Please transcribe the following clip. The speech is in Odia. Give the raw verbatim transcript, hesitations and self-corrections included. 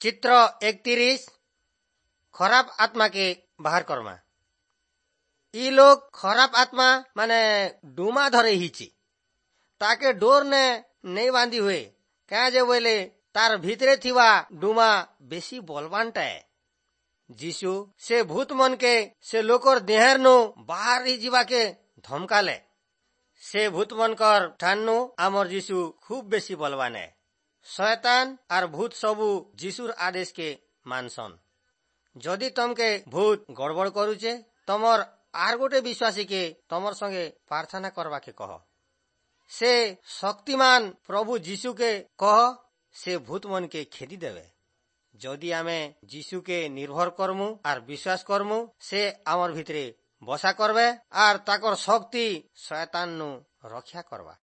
ଚିତ୍ର ଏକତିରିଶ ଖରାପ ଆତ୍ମାକେ ବାହାର କର୍ମା ଇ ଲୋକ ଖରାପ ଆତ୍ମା ମାନେ ଡୁମା ଧରେ ହେଇଛି ତାକେ ଡୋର ନେ ନେଇ ବାନ୍ଧି ହୁଏ କାଁ ଯେ ବୋଇଲେ ତାର ଭିତରେ ଥିବା ଡୁମା ବେଶୀ ବଲବାନଟାଏ ଯୀଶୁ ସେ ଭୂତ ମନକେ ସେ ଲୋକର ଦେହେର ନୁ ବାହାର ଯିବାକେ ଧମକାଲେ ସେ ଭୂତ ମନକର ଠାନୁ ଆମର ଯୀଶୁ ଖୁବ ବେଶୀ ବଲବାନ ଏ ଶୟତାନ ଆର ଭୂତ ସବୁ ଯୀଶୁର ଆଦେଶକେ ମାନସନ୍ ଯଦି ତମକେ ଭୂତ ଗଡ଼ବଡ଼ କରୁଛେ ତମର ଆର ଗୋଟେ ବିଶ୍ୱାସୀକେ ତମର ସଙ୍ଗେ ପ୍ରାର୍ଥନା କରବାକେ କହ ସେ ଶକ୍ତିମାନ ପ୍ରଭୁ ଯୀଶୁକେ କହ ସେ ଭୂତ ମନକେ ଖେଦି ଦେବେ ଯଦି ଆମେ ଯୀଶୁକେ ନିର୍ଭର କରମୁ ଆର ବିଶ୍ୱାସ କରମୁ ସେ ଆମର ଭିତରେ ବସା କରବେ ଆର ତାକର ଶକ୍ତି ଶୟତାନ ନୁ ରକ୍ଷା କରବା